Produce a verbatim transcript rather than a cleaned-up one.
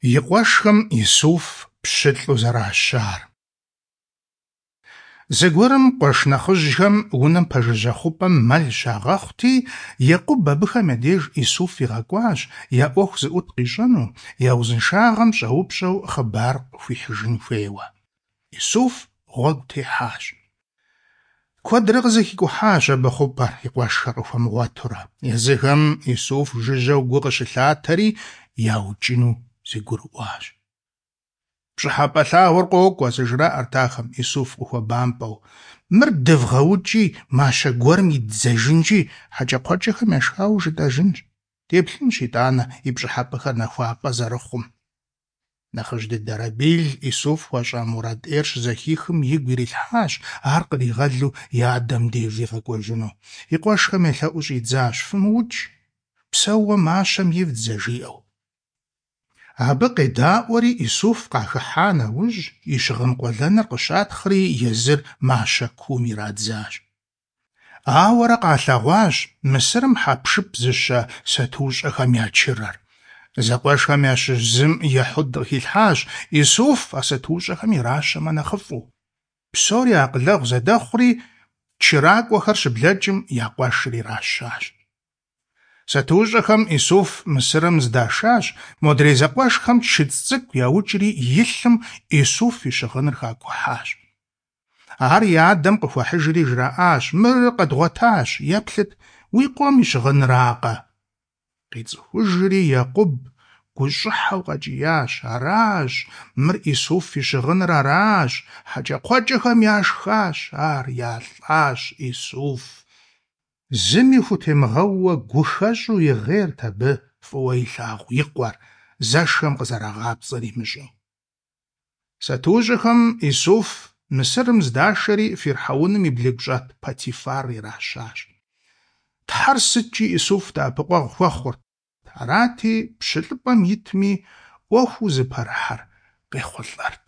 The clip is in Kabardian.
И къуэшхэм Исуф пщылӀу зэращар. Зэгуэрым къуэш нэхъыжьхэм унэм пэжыжьэ хъупӀэм мэл щагъэхъути, Екъуб абыхэм я деж Исуф игъэкӀуащ, я Ӏуэху зыӀут къищӀэну, я узыншагъэм щӀэупщӀэу хъыбар къыхуихьыжын хуейуэ. Исуф гъуэгу техьащ. Куэдрэ къызэхикӀухьащ абы хъупӀэр, и къуэшхэр къыхуэмыгъуэтурэ. Езыхэм Исуф жыжьэу гу къыщылъатэри, яукӀыну зэгурыӀуащ. «ПщӀыхьэпӀэ лъагъур къокӀуэ», – зэжраӀэрт ахэм, Исуф къыхуэбампӀэу. «Мыр дывгъэукӀи, мащэ гуэрым иддзэжынщи, хьэкӀэкхъуэкӀэхэм яшхауэ жытӀэжынщ. Деплъынщ итӀанэ и пщӀыхьэпӀэхэр нахуапӀэ зэрыхъум». Нэхъыжь дыдэ Рабил Исуф хуащӀа мурад Ӏейр щызэхихым игу ирилъхьащ ар къригъэлу и адэм деж игъэкӀуэжыну. И къуэшхэм елъэӀуу щӀидзащ: «ФымыукӀ, псэууэ мащэм ивдзэ», – жиӀэу. Абы къедаӀуэри, Исуф къахыхьа нэужь, и щыгъын къуэлэныр къыщатхъри, езыр мащэ куум ирадзащ. Ауэрэ къалъэгъуащ Мысырым хьэпшып зыщэ сатуущӀэхэм я чырэр. Зэкъуэшхэм ящыщ зым Ехьуд къыхилъхьащ Исуф а сатуущӀэхэм иращэмэ нэхъыфӀу. Псори акъылэгъу зэдэхъури, чыракӀуэхэр щыблэкӀым я къуэшыр иращащ. СатуущӀэхэм Исуф Мысырым здашащ, модрей зэкъуэшхэм чыцӀ цӀыкӀу яукӀри и лъым Исуф и щыгъыныр хакӀухьащ. Ар я адэм къыхуахьыжри жраӀащ: «Мыр къэдгъуэтащ, еплъыт, уи къуэм и щыгъынракъэ?» КъицӀыхужри, Екъуб гущӀыхьэу къэкӀиящ: «Аращ, мыр Исуф и щыгъыныр аращ, хьэкӀэкхъуэкӀэхэм яшхащ ар, ялӀащ Исуф». Зыми хутемыгъэууэ гухэщӀу игъейрт абы фӀыуэ илъагъу и къуэр, зэшхэм къызэрагъапцӀэр имыщӀэу. СатуущӀэхэм Исуф Мысырым здашэри фирхьэуным и блыгущӀэт Потифар иращащ. Тхьэр сыткӀи Исуф дэӀэпыкъуэгъу хуэхъурт, арати, пщылӀыпӀэм итми, Ӏуэхуу зыпэрыхьэр къехъулӀэрт.